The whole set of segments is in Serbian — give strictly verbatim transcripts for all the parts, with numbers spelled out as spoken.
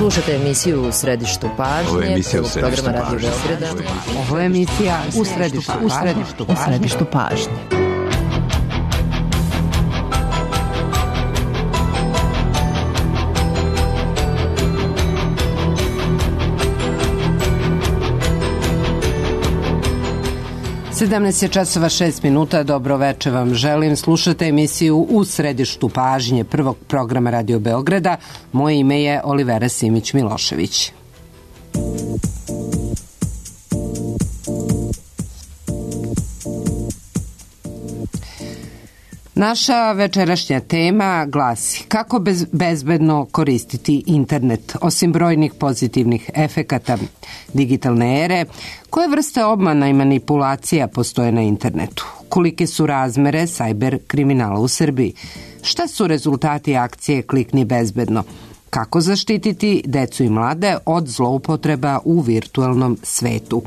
Slušajte emisiju U središtu pažnje. Ovo je emisija U središtu programa Radio Beograda. Ovo je emisija U središtu, u središtu, u središtu pažnje. sedamnaest je časova šest minuta, dobro veče vam želim. Slušate emisiju U središtu pažnje prvog programa Radio Beograda. Moje ime je Olivera Simić-Milošević. Naša večerašnja tema glasi: kako bez, bezbedno koristiti internet? Osim brojnih pozitivnih efekata digitalne ere, koje vrste obmana i manipulacija postoje na internetu? Kolike su razmere sajber kriminala u Srbiji? Šta su rezultati akcije Klikni bezbedno? Kako zaštititi decu i mlade od zloupotreba u virtualnom svetu?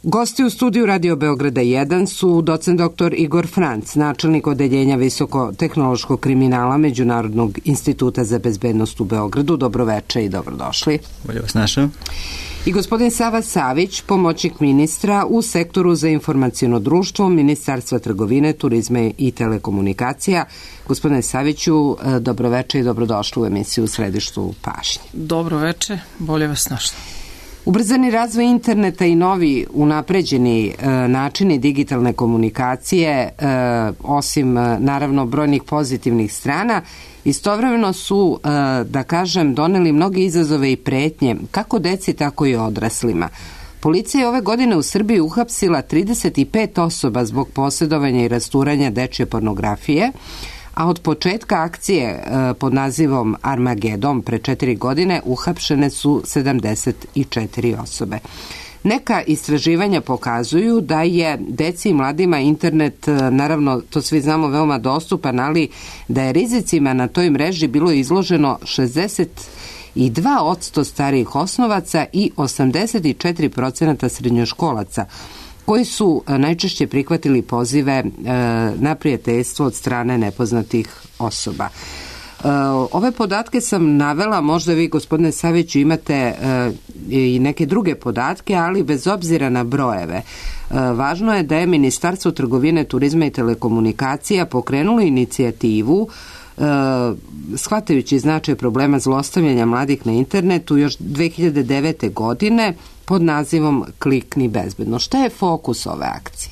Gosti u studiju Radio Beograda jedan su docent doktor Igor Franc, načelnik odeljenja visokotehnološkog kriminala Međunarodnog instituta za bezbednost u Beogradu. Dobroveče i dobrodošli. Bolje vas našao. I gospodin Sava Savić, pomoćnik ministra u sektoru za informaciono društvo Ministarstva trgovine, turizma i telekomunikacija. Gospodine Saviću, dobroveče i dobrodošli u emisiju U središtu pažnje. Dobroveče, bolje vas našao. Ubrzani razvoj interneta i novi unapređeni e, načini digitalne komunikacije, e, osim e, naravno brojnih pozitivnih strana, istovremeno su, e, da kažem, doneli mnoge izazove i pretnje, kako deci, tako i odraslima. Policija je ove godine u Srbiji uhapsila trideset pet osoba zbog posjedovanja i rasturanja dečje pornografije, a od početka akcije e, pod nazivom Armagedon pre četiri godine uhapšene su sedamdeset četiri osobe. Neka istraživanja pokazuju da je deci i mladima internet, naravno to svi znamo, veoma dostupan, ali da je rizicima na toj mreži bilo izloženo šezdeset dva posto starijih osnovaca i osamdeset četiri posto srednjoškolaca, koji su najčešće prihvatili pozive e, na prijateljstvo od strane nepoznatih osoba. E, ove podatke sam navela, možda vi, gospodine Saviću, imate e, i neke druge podatke, ali bez obzira na brojeve. E, važno je da je Ministarstvo trgovine, turizma i telekomunikacija pokrenulo inicijativu e, shvatajući značaj problema zlostavljanja mladih na internetu još dve hiljade devete. godine pod nazivom Klikni bezbedno. Šta je fokus ove akcije?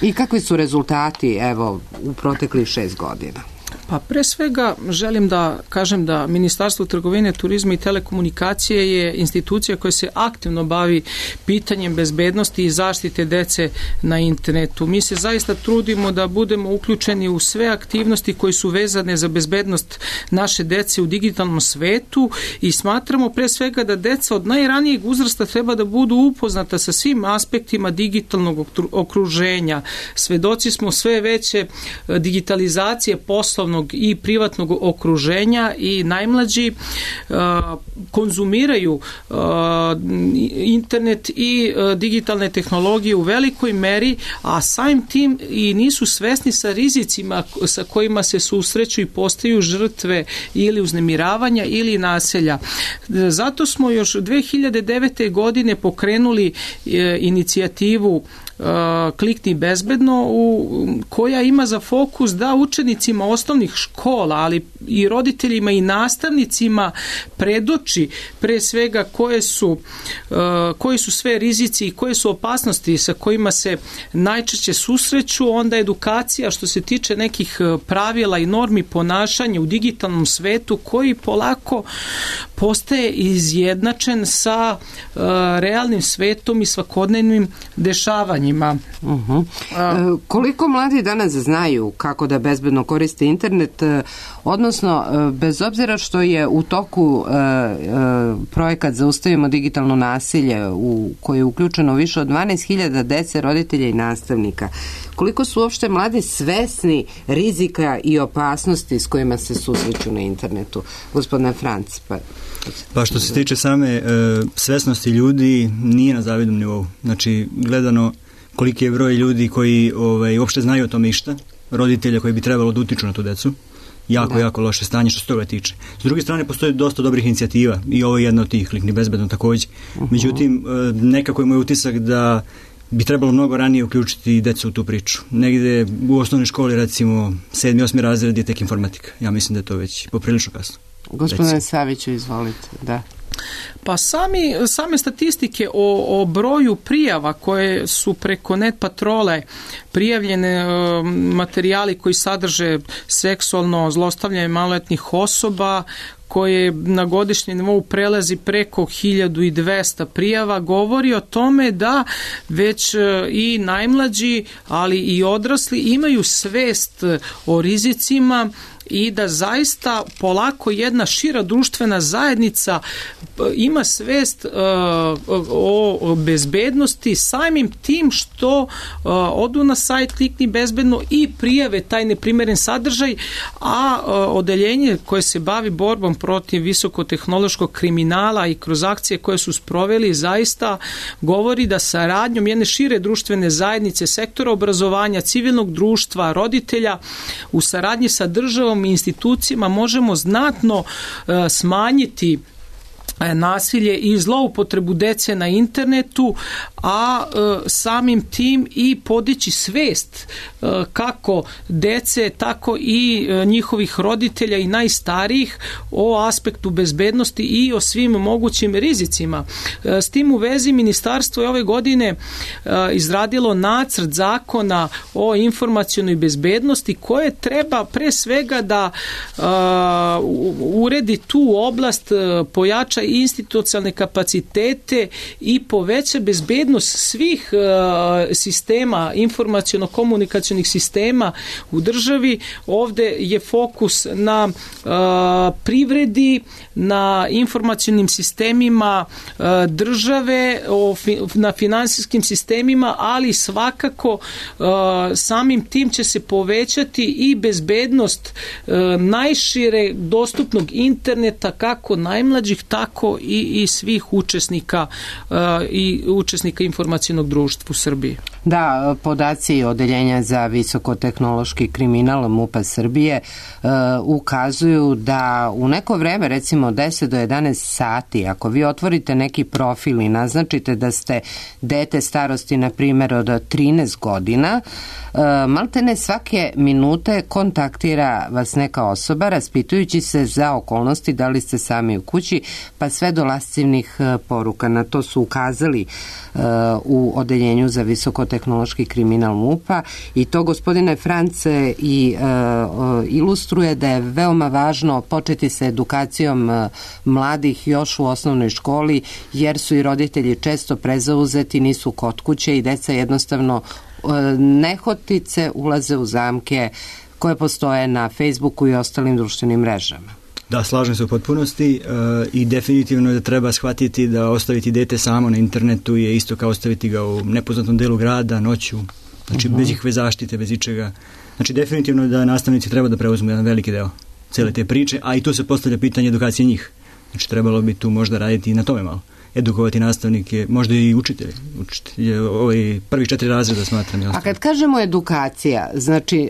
I kakvi su rezultati, evo, u proteklih šest godina? Pa pre svega želim da kažem da Ministarstvo trgovine, turizma i telekomunikacije je institucija koja se aktivno bavi pitanjem bezbednosti i zaštite dece na internetu. Mi se zaista trudimo da budemo uključeni u sve aktivnosti koje su vezane za bezbednost naše dece u digitalnom svetu i smatramo pre svega da deca od najranijeg uzrasta treba da budu upoznata sa svim aspektima digitalnog okruženja. Svedoci smo sve veće digitalizacije poslovnog i privatnog okruženja i najmlađi uh, konzumiraju uh, internet i uh, digitalne tehnologije u velikoj meri, a samim tim i nisu svesni sa rizicima sa kojima se susreću i postaju žrtve ili uznemiravanja ili nasilja. Zato smo još dve hiljade devete. godine pokrenuli uh, inicijativu Klikni bezbedno, u, koja ima za fokus da učenicima osnovnih škola, ali i roditeljima i nastavnicima predoči pre svega koje su, uh, koji su sve rizici i koje su opasnosti sa kojima se najčešće susreću, onda edukacija što se tiče nekih pravila i normi ponašanja u digitalnom svetu koji polako postaje izjednačen sa uh, realnim svetom i svakodnevnim dešavanjima. Uh-huh. E, koliko mladi danas znaju kako da bezbedno koriste internet, odnosno bez obzira što je u toku e, e, projekat Zaustavimo digitalno nasilje u koji je uključeno više od dvanaest hiljada dece, roditelja i nastavnika, koliko su uopšte mladi svesni rizika i opasnosti s kojima se susreću na internetu? Gospodine Franc, pa... Pa što se tiče same e, svesnosti ljudi, nije na zavidnom nivou. Znači, gledano koliki je broj ljudi koji ovaj, uopšte znaju o tome išta, roditelja koji bi trebalo da utiču na tu decu, Jako, da. jako loše stanje što se toga tiče. S druge strane, postoji dosta dobrih inicijativa i ovo je jedna od tih, Klikni bezbedno takođe. Uh-huh. Međutim, nekako je moj utisak da bi trebalo mnogo ranije uključiti decu u tu priču. Negde u osnovnoj školi, recimo, sedmi, osmi razred je tek informatika. Ja mislim da je to već poprilično kasno. Gospodine Saviću, izvolite, da. Pa sami, same statistike o, o broju prijava koje su preko net patrole prijavljene, e, materijali koji sadrže seksualno zlostavljanje maloletnih osoba, koje na godišnjem nivou prelazi preko hiljadu dvesta prijava, govori o tome da već i najmlađi, ali i odrasli imaju svest o rizicima i da zaista polako jedna šira društvena zajednica ima svest uh, o bezbednosti samim tim što uh, odu na sajt Klikni bezbedno i prijave taj neprimeren sadržaj, a uh, odeljenje koje se bavi borbom protiv visokotehnološkog kriminala i kroz akcije koje su sproveli zaista govori da saradnjom jedne šire društvene zajednice, sektora obrazovanja, civilnog društva, roditelja u saradnji sa državom i institucijama možemo znatno uh, smanjiti nasilje i zloupotrebu dece na internetu, a e, samim tim i podići svest e, kako dece, tako i e, njihovih roditelja i najstarijih o aspektu bezbednosti i o svim mogućim rizicima. E, s tim u vezi ministarstvo je ove godine e, izradilo nacrt zakona o informacionoj bezbednosti koje treba pre svega da e, uredi tu oblast, e, pojača institucionalne kapacitete i poveća bezbednost svih uh, sistema, informaciono-komunikacionih sistema u državi. Ovde je fokus na uh, privredi, na informacionim sistemima uh, države, o fi, na finansijskim sistemima, ali svakako uh, samim tim će se povećati i bezbednost uh, najšire dostupnog interneta, kako najmlađih, tako i, i svih učesnika uh, i učesnika informacionog društva u Srbiji. Da, podaci Odeljenja za visokotehnološki kriminal MUP-a Srbije uh, ukazuju da u neko vreme, recimo deset do jedanaest sati, ako vi otvorite neki profil i naznačite da ste dete starosti, na primjer, od trinaest godina, uh, maltene svake minute kontaktira vas neka osoba raspitujući se za okolnosti da li ste sami u kući, pa sve do lascivnih poruka. Na to su ukazali uh, u Odeljenju za visokotehnološki kriminal MUP-a i to, gospodine France, i uh, ilustruje da je veoma važno početi sa edukacijom uh, mladih još u osnovnoj školi, jer su i roditelji često prezauzeti, nisu kod kuće i deca jednostavno uh, nehotice ulaze u zamke koje postoje na Facebooku i ostalim društvenim mrežama. Da, slažem se u potpunosti e, i definitivno je da treba shvatiti da ostaviti dete samo na internetu je isto kao ostaviti ga u nepoznatom delu grada, noću, znači uh-huh. bez ikakve zaštite, bez ičega. Znači definitivno da nastavnici treba da preuzmu jedan veliki deo cele te priče, a i tu se postavlja pitanje edukacije njih. Znači trebalo bi tu možda raditi i na tome malo. Edukovati nastavnike, možda i učitelje. Učitelje, ovaj prvi četiri razreda smatram. A kad kažemo edukacija, znači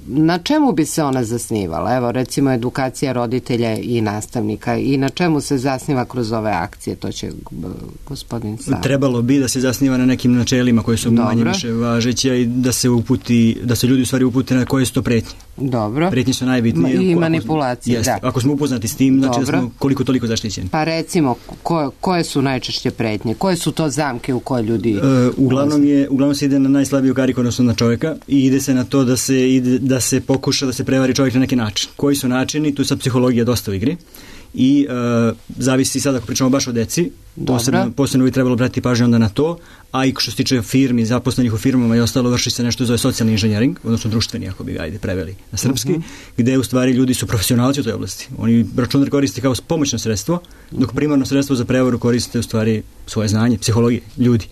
na čemu bi se ona zasnivala? Evo, recimo edukacija roditelja i nastavnika i na čemu se zasniva kroz ove akcije? To će gospodin Sav. Trebalo bi da se zasniva na nekim načelima koje su Dobro. manje više važeće i da se uputi, da se ljudi u stvari upute na koje su to pretnje. Dobro. Pretnje su najbitnije. I manipulacije, jeste, da. Ako smo upoznati s tim, znači Dobro. da smo koliko toliko zaštićeni. Pa recimo, ko, koje su najčešće pretnje? Koje su to zamke u koje ljudi... E, uglavnom, je, uglavnom se ide na najslabiju kariku, odnosno na čovjeka, i ide se na to da se, ide, da se pokuša da se prevari čovjek na neki način. Koji su načini? Tu sad psihologija dosta u igri. I e, zavisi sad ako pričamo baš o deci, posebno, posebno bi trebalo brati pažnju onda na to, a i što se tiče firmi, zaposlenih u firmama i ostalo, vrši se nešto zove socijalni inženjering, odnosno društveni, ako bi ga ajde preveli na srpski, uh-huh. gde u stvari ljudi su profesionalci u toj oblasti. Oni računar koriste kao pomoćno sredstvo, dok primarno sredstvo za prevaru koriste u stvari svoje znanje, psihologije, ljudi.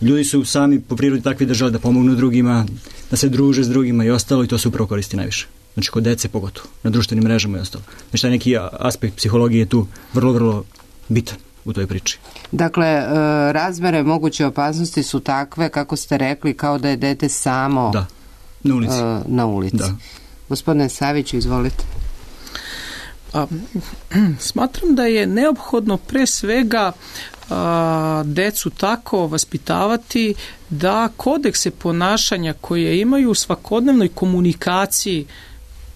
Ljudi su sami po prirodi takvi držali da pomognu drugima, da se druže s drugima i ostalo, i to se upravo koristi najviše. Znači kod dece pogotovo, na društvenim mrežama i ostalo. Znači taj neki aspekt psihologije je tu vrlo, vrlo bitan u toj priči. Dakle, razmere moguće opasnosti su takve, kako ste rekli, kao da je dete samo da, na ulici. Na ulici. Da. Gospodine Saviću, izvolite. A, smatram da je neophodno pre svega a, decu tako vaspitavati da kodekse ponašanja koje imaju u svakodnevnoj komunikaciji,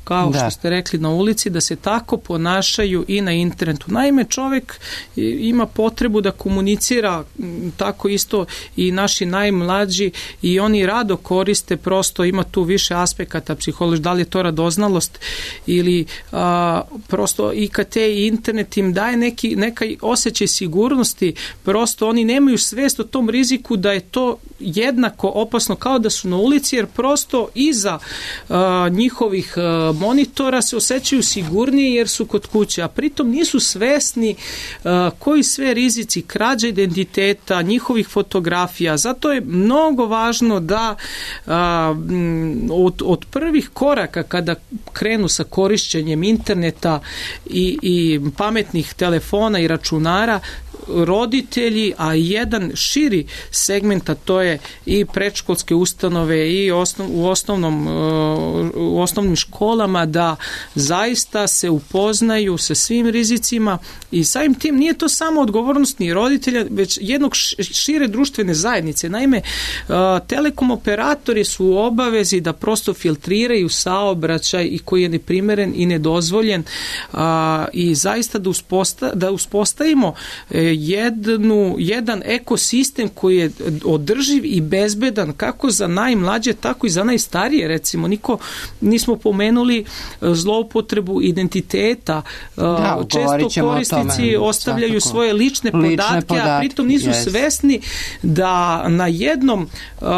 kao da. Što ste rekli na ulici, da se tako ponašaju i na internetu. Naime, čovjek ima potrebu da komunicira, tako isto i naši najmlađi, i oni rado koriste, prosto ima tu više aspekata psihološki, da li je to radoznalost ili a, prosto I K T i internet im daje neki, neka osjećaj sigurnosti, prosto oni nemaju svest o tom riziku da je to jednako opasno kao da su na ulici, jer prosto iza a, njihovih a, monitora se osjećaju sigurnije jer su kod kuće, a pritom nisu svesni uh, koji sve rizici krađe identiteta, njihovih fotografija. Zato je mnogo važno da uh, od, od prvih koraka kada krenu sa korišćenjem interneta i, i pametnih telefona i računara, roditelji, a jedan širi segment, a to je i predškolske ustanove i osnov, u, osnovnom, u osnovnim školama, da zaista se upoznaju sa svim rizicima i samim tim nije to samo odgovornost ni roditelja, već jednog šire društvene zajednice. Naime, telekom operatori su u obavezi da prosto filtriraju saobraćaj i koji je neprimeren i nedozvoljen i zaista da, usposta, da uspostavimo jednu, jedan ekosistem koji je održiv i bezbedan kako za najmlađe, tako i za najstarije. Recimo, niko nismo pomenuli zloupotrebu identiteta. Da, često korisnici ostavljaju svakako svoje lične, lične podatke, podatke, a pritom nisu yes. svesni da na jednom uh,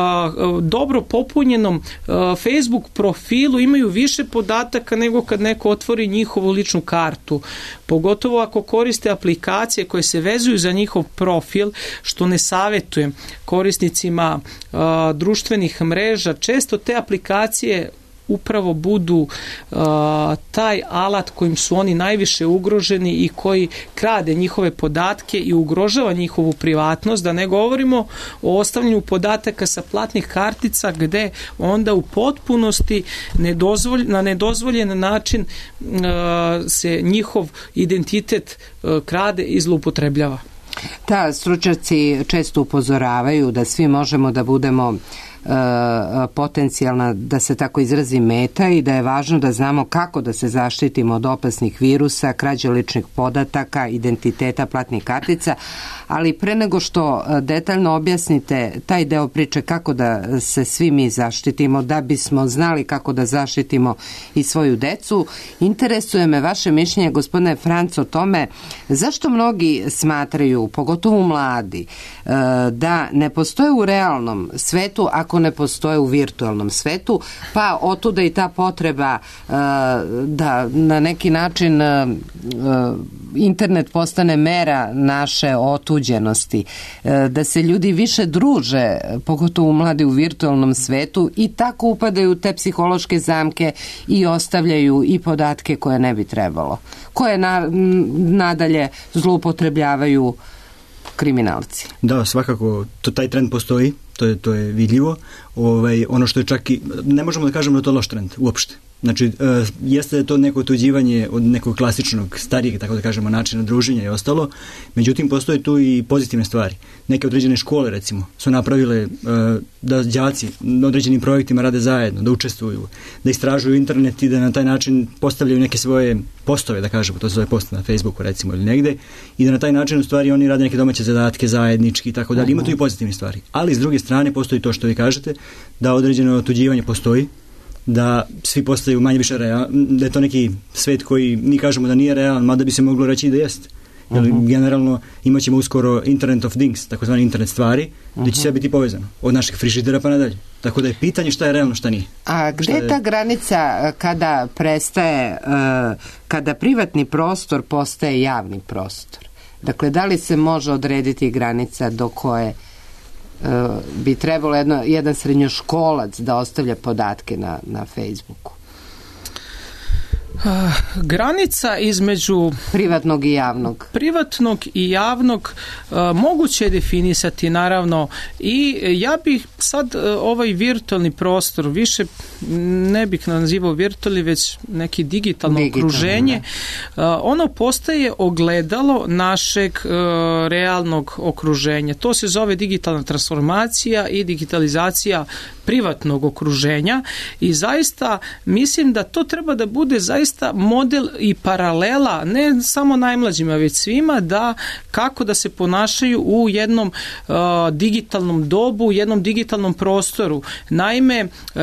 dobro popunjenom uh, Facebook profilu imaju više podataka nego kad neko otvori njihovu ličnu kartu. Pogotovo ako koriste aplikacije koje se vezuju za njihov profil, što ne savjetujem korisnicima uh, društvenih mreža. Često te aplikacije upravo budu uh, taj alat kojim su oni najviše ugroženi i koji krade njihove podatke i ugrožava njihovu privatnost, da ne govorimo o ostavljanju podataka sa platnih kartica gde onda u potpunosti nedozvolj, na nedozvoljen način uh, se njihov identitet uh, krade i zloupotrebljava. Da, stručnjaci često upozoravaju da svi možemo da budemo potencijalna, da se tako izrazi, meta i da je važno da znamo kako da se zaštitimo od opasnih virusa, krađe ličnih podataka, identiteta, platnih kartica, ali pre nego što detaljno objasnite taj deo priče kako da se svi mi zaštitimo, da bismo znali kako da zaštitimo i svoju decu, interesuje me vaše mišljenje, gospodine Franc, o tome zašto mnogi smatraju, pogotovo mladi, da ne postoje u realnom svetu ako ne postoje u virtualnom svetu, pa otuda i ta potreba uh, da na neki način uh, internet postane mera naše otuđenosti, uh, da se ljudi više druže, pogotovo mladi u virtualnom svetu, i tako upadaju u te psihološke zamke i ostavljaju i podatke koje ne bi trebalo, koje na, nadalje zloupotrebljavaju kriminalci. Da, svakako, to, taj trend postoji, to je, to je vidljivo. Ovaj, ono što je čak i, ne možemo da kažemo da to je loš trend, uopšte. Znači, e, jeste da je to neko otuđivanje od nekog klasičnog, starijeg, tako da kažemo, načina druženja i ostalo, međutim, postoje tu i pozitivne stvari. Neke određene škole, recimo, su napravile e, da đaci na određenim projektima rade zajedno, da učestvuju, da istražuju internet i da na taj način postavljaju neke svoje postove, da kažemo, to se zove post na Facebooku, recimo, ili negde, i da na taj način, u stvari, oni rade neke domaće zadatke zajednički i tako dalje. Ima tu i pozitivne stvari. Ali, s druge strane, postoji to što vi kažete, da određeno otuđivanje postoji, da svi postaju manje više realni, da je to neki svet koji mi kažemo da nije realan, mada bi se moglo reći da jeste. Jer uh-huh. generalno imat ćemo uskoro Internet of Things, takozvani internet stvari, uh-huh. gdje će sve biti povezano, od naših frižidera pa nadalje. Tako da je pitanje šta je realno, šta nije. A gde je ta granica kada prestaje, kada privatni prostor postaje javni prostor? Dakle, da li se može odrediti granica do koje bi trebalo jedno, jedan srednjoškolac da ostavlja podatke na, na Facebooku? Granica između privatnog i javnog privatnog i javnog uh, moguće je definisati naravno i ja bih sad uh, ovaj virtualni prostor više ne bih nazivao virtualni već neki digitalno Digitalno, okruženje uh, ono postaje ogledalo našeg uh, realnog okruženja. To se zove digitalna transformacija i digitalizacija privatnog okruženja i zaista mislim da to treba da bude zaista model i paralela ne samo najmlađima već svima da kako da se ponašaju u jednom uh, digitalnom dobu, u jednom digitalnom prostoru. Naime, uh,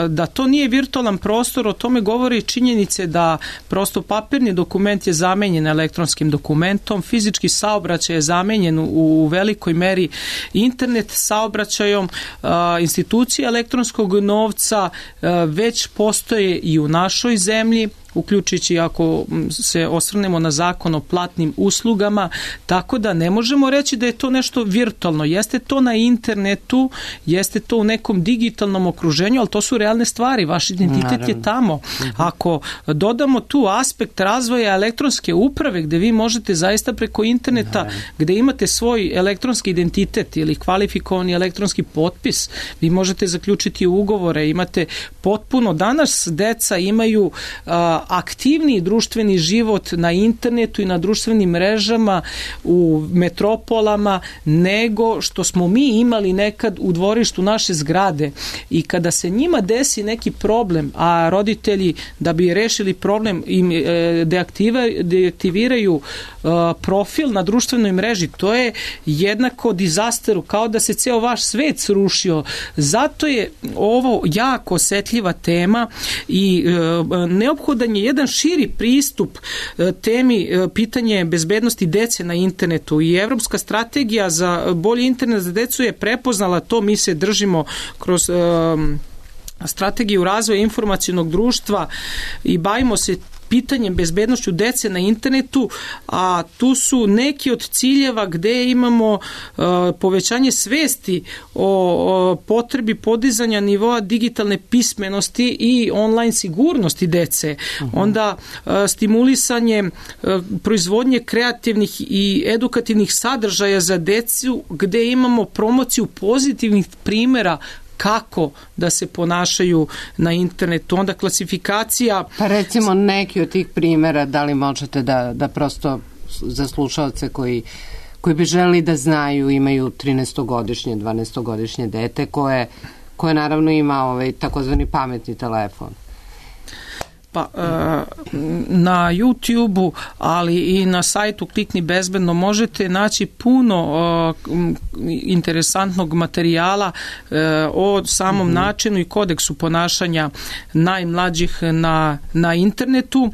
da to nije virtualan prostor, o tome govori činjenice da prosto papirni dokument je zamenjen elektronskim dokumentom, fizički saobraćaj je zamenjen u, u velikoj meri internet saobraćajom, uh, institucije elektronskog novca uh, već postoje i u našoj zemlji, uključujući ako se osvrnemo na zakon o platnim uslugama, tako da ne možemo reći da je to nešto virtualno. Jeste to na internetu, jeste to u nekom digitalnom okruženju, ali to su realne stvari. Vaš identitet Naravno. je tamo. Ako dodamo tu aspekt razvoja elektronske uprave, gde vi možete zaista preko interneta, Naravno. gde imate svoj elektronski identitet ili kvalifikovani elektronski potpis, vi možete zaključiti ugovore, imate potpuno, danas deca imaju a, aktivniji društveni život na internetu i na društvenim mrežama u metropolama nego što smo mi imali nekad u dvorištu naše zgrade i kada se njima desi neki problem, a roditelji da bi rešili problem im deaktiviraju profil na društvenoj mreži, to je jednako dizasteru, kao da se ceo vaš svet srušio. Zato je ovo jako osetljiva tema i neophodan je jedan širi pristup temi pitanje bezbednosti dece na internetu i Evropska strategija za bolji internet za decu je prepoznala to, mi se držimo kroz um, strategiju razvoja informacionog društva i bavimo se pitanjem bezbednošću dece na internetu, a tu su neki od ciljeva gde imamo uh, povećanje svesti o, o potrebi podizanja nivoa digitalne pismenosti i online sigurnosti dece. Uh-huh. Onda uh, stimulisanje uh, proizvodnje kreativnih i edukativnih sadržaja za decu gde imamo promociju pozitivnih primera kako da se ponašaju na internetu. Onda klasifikacija... Pa recimo neki od tih primjera, da li možete da, da prosto za slušalce koji, koji bi želi da znaju, imaju trinaestogodišnje, dvanaestogodišnje dete koje, koje naravno ima ovaj takozvani pametni telefon. Pa, na YouTubeu, ali i na sajtu Klikni bezbedno možete naći puno interesantnog materijala o samom mm-hmm. načinu i kodeksu ponašanja najmlađih na, na internetu.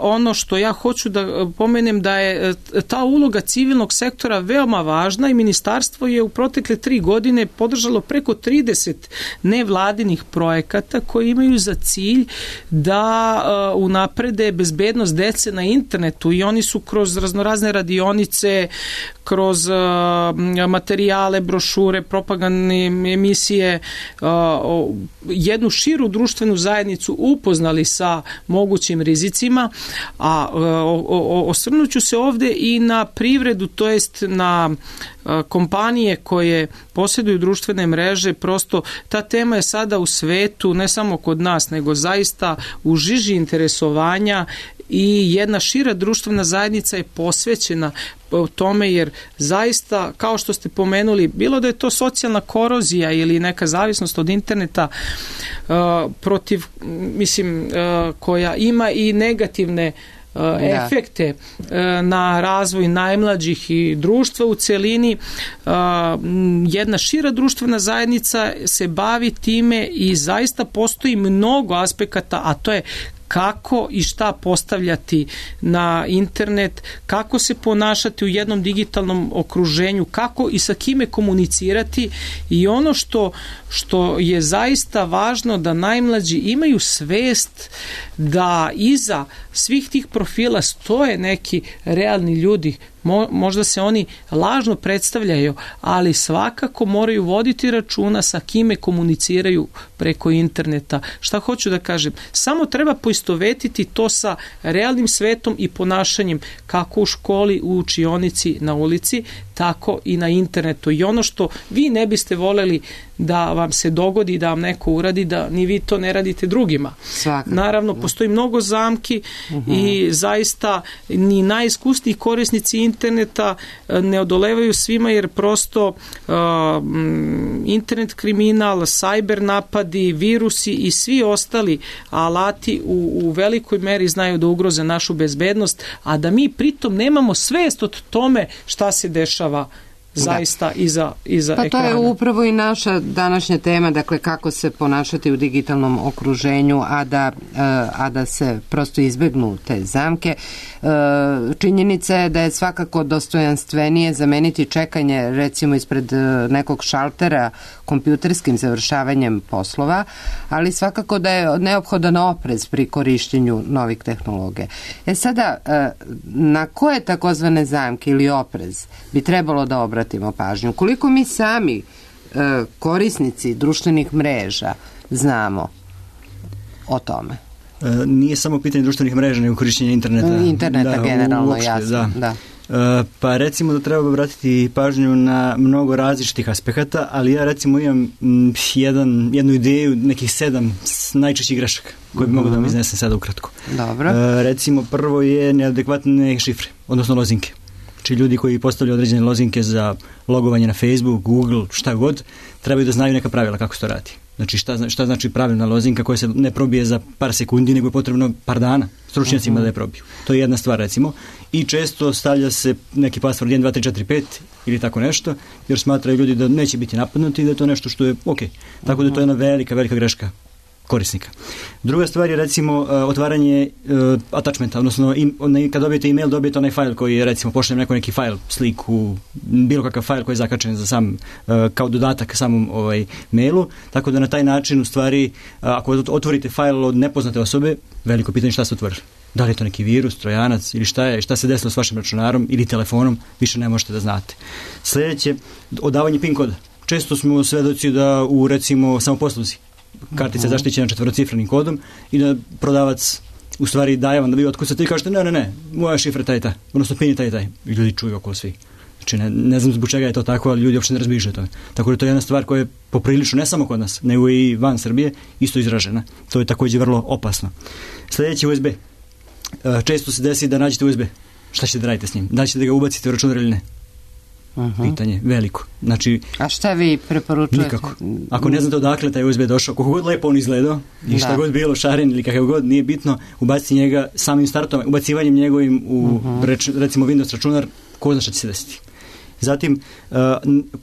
Ono što ja hoću da pomenem da je ta uloga civilnog sektora veoma važna i ministarstvo je u protekle tri godine podržalo preko trideset nevladinih projekata koji imaju za cilj da unaprede bezbednost dece na internetu i oni su kroz raznorazne radionice, kroz materijale, brošure, propagandne emisije jednu širu društvenu zajednicu upoznali sa mogućim rizicima, a osvrnut ću se ovde i na privredu, to jest na kompanije koje posjeduju društvene mreže. Prosto ta tema je sada u svetu, ne samo kod nas, nego zaista u žiži interesovanja i jedna šira društvena zajednica je posvećena tome, jer zaista, kao što ste pomenuli, bilo da je to socijalna korozija ili neka zavisnost od interneta uh, protiv, mislim, uh, koja ima i negativne uh, da. efekte uh, na razvoj najmlađih i društva u celini. Uh, jedna šira društvena zajednica se bavi time i zaista postoji mnogo aspekata, a to je kako i šta postavljati na internet, kako se ponašati u jednom digitalnom okruženju, kako i sa kime komunicirati i ono što, što je zaista važno da najmlađi imaju svest da iza svih tih profila stoje neki realni ljudi, Mo, možda se oni lažno predstavljaju, ali svakako moraju voditi računa sa kime komuniciraju preko interneta. Šta hoću da kažem? Samo treba poistovetiti to sa realnim svetom i ponašanjem kako u školi, u učionici, na ulici, tako i na internetu. I ono što vi ne biste voljeli da vam se dogodi, da vam neko uradi, da ni vi to ne radite drugima. Svakako. Naravno, postoji mnogo zamki uh-huh. i zaista ni najiskusniji korisnici interneta ne odolevaju svima, jer prosto uh, internet kriminal, cyber napadi, virusi i svi ostali alati u, u velikoj meri znaju da ugroze našu bezbednost, a da mi pritom nemamo svest od tome šta se dešava zaista da. iza, iza pa ekrana. To je upravo i naša današnja tema, dakle kako se ponašati u digitalnom okruženju, a da, a da se prosto izbegnu te zamke. Činjenica je da je svakako dostojanstvenije zameniti čekanje recimo ispred nekog šaltera kompjuterskim završavanjem poslova, ali svakako da je neophodan oprez pri korištenju novih tehnologija. E sada, na koje takozvane zamke ili oprez bi trebalo da obratimo pažnju? Koliko mi sami korisnici društvenih mreža znamo o tome? Nije samo pitanje društvenih mreža, nego korišćenje interneta. Interneta da, generalno, uopšte, jasno. Da. Da. Pa recimo da treba obratiti pažnju na mnogo različitih aspekata, ali ja recimo imam jedan, jednu ideju, nekih sedam najčešćih grešaka koje bi uh-huh. mogu da vam iznesem sada ukratko. Dobro. Recimo prvo je neadekvatne šifre, odnosno lozinke. Znači ljudi koji postavljaju određene lozinke za logovanje na Facebook, Google, šta god, trebaju da znaju neka pravila kako se to radi. Znači šta, šta znači pravilna lozinka koja se ne probije za par sekundi, nego je potrebno par dana stručnjacima uh-huh. da je probiju. To je jedna stvar recimo. I često stavlja se neki password jedan, dva, tri, četiri, pet ili tako nešto, jer smatraju ljudi da neće biti napadnuti i da je to nešto što je ok. Tako da je to jedna velika, velika greška korisnika. Druga stvar je recimo uh, otvaranje uh, attachmenta, odnosno im, on, kad dobijete email dobijete onaj fajl koji je recimo pošaljem neko neki fajl, sliku, bilo kakav fajl koji je zakačen za sam, uh, kao dodatak samom ovaj, mailu, tako da na taj način u stvari uh, ako otvorite fajl od nepoznate osobe, veliko pitanje šta se otvori. Da li je to neki virus, trojanac ili šta je, šta se desilo s vašim računarom ili telefonom, više ne možete da znate. Sljedeće, odavanje pin koda. Često smo svedoci da u recimo samoposluzi kartica je zaštićena četvorocifrenim kodom i da prodavac u stvari daje vam da vi otkucate i kažete ne, ne, ne, moja šifra je taj taj, odnosno pin je taj taj. I ljudi čuju oko svi. Znači ne, ne znam zbog čega je to tako, ali ljudi uopšte ne razmišljaju o tome. Tako da to je jedna stvar koja je poprilično, ne samo kod nas, nego i van Srbije, isto izražena. To je također vrlo opasno. Sljedeći U S B. Često se desi da nađete U S B. Šta ćete da radite s njim? Da li ćete da ga ubacite u računar ili ne? Uh-huh. Pitanje veliko. Znači, a šta vi preporučujete? Nikako. Ako ne znate odakle taj U S B došao, koliko god lepo on izgledao i šta da. god bilo šaren ili kakav god, nije bitno, ubaciti njega samim startom, ubacivanjem njegovim u uh-huh. reč, recimo Windows računar, ko zna šta će se desiti. Zatim, uh,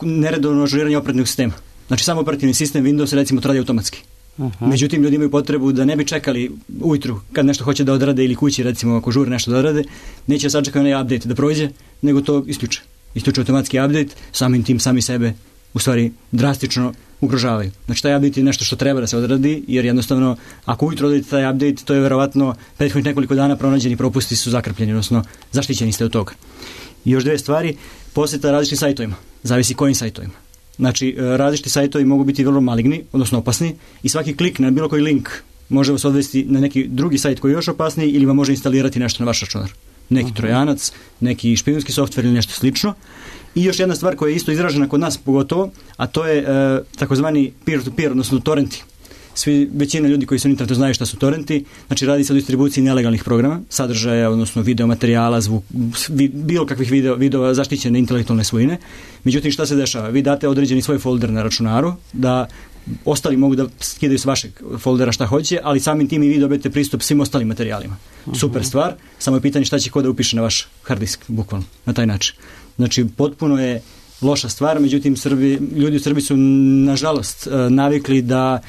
neredovno ažuriranje operativnog sistema. Znači, samo operativni sistem Windows recimo to radi automatski. Uh-huh. Međutim, ljudi imaju potrebu da ne bi čekali ujutru kad nešto hoće da odrade ili kući, recimo ako žure nešto da odrade, neće sačekati onaj update da prođe, nego to isključe. Isključe automatski update, samim tim sami sebe u stvari drastično ugrožavaju. Znači taj update je nešto što treba da se odradi, jer jednostavno ako ujutro odradite taj update, to je verovatno prethodnih nekoliko dana pronađeni propusti su zakrpljeni, odnosno zaštićeni ste od toga. I još dve stvari, posjeta različitim sajtovima, zavisi kojim sajtovima. Znači različiti sajtovi mogu biti vrlo maligni, odnosno opasni i svaki klik na bilo koji link može vas odvesti na neki drugi sajt koji je još opasniji ili vam može instalirati nešto na vaš računar. Neki uh-huh. trojanac, neki špijunski softver ili nešto slično. I još jedna stvar koja je isto izražena kod nas pogotovo, a to je e, takozvani peer-to-peer, odnosno torrenti. Svi, većina ljudi koji su na internetu znaju šta su torrenti, znači radi se o distribuciji nelegalnih programa, sadržaja, odnosno video materijala, zvuk, vi, bilo kakvih video, videova zaštićene intelektualne svojine. Međutim, šta se dešava? Vi date određeni svoj folder na računaru, da ostali mogu da skidaju s vašeg foldera šta hoće, ali samim tim i vi dobijete pristup svim ostalim materijalima. Uh-huh. Super stvar, samo je pitanje šta će ko da upiše na vaš hard disk, bukvalno, na taj način. Znači, potpuno je loša stvar, međutim, Srbi, ljudi u Srbiji su, nažalost, navikli da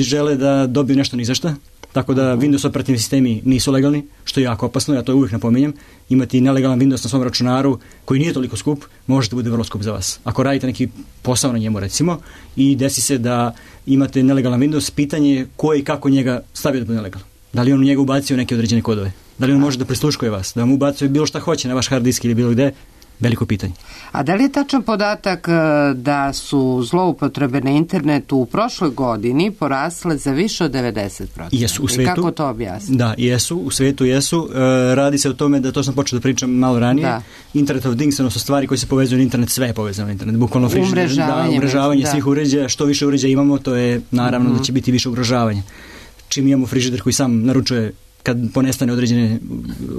žele da dobiju nešto ni za šta, tako da Windows operativni sistemi nisu legalni, što je jako opasno, ja to uvijek napominjem. Imati nelegalan Windows na svom računaru koji nije toliko skup, možete bude vrlo skup za vas. Ako radite neki posao na njemu, recimo, i desi se da imate nelegalan Windows, pitanje je ko i kako njega stavio da bude nelegalan. Da li on u njega ubacio neke određene kodove? Da li on može da prisluškuje vas? Da vam ubacuje bilo šta hoće na vaš hard disk ili bilo gde? Veliko pitanje. A da li je tačan podatak da su zloupotrebe na internetu u prošloj godini porasle za više od devedeset posto? Jesu u svetu. I kako to objasniti? Da, jesu, u svetu jesu. E, radi se o tome da, to sam počeo da pričam malo ranije, da. Internet of Things, odnosno stvari koje se povezuju na internet, sve je povezano na internet. Bukvalno frižider, da, umrežavanje svih uređaja, što više uređaja imamo, to je naravno mm-hmm. da će biti više ugrožavanja. Čim imamo frižider koji sam naručuje kad ponestane određene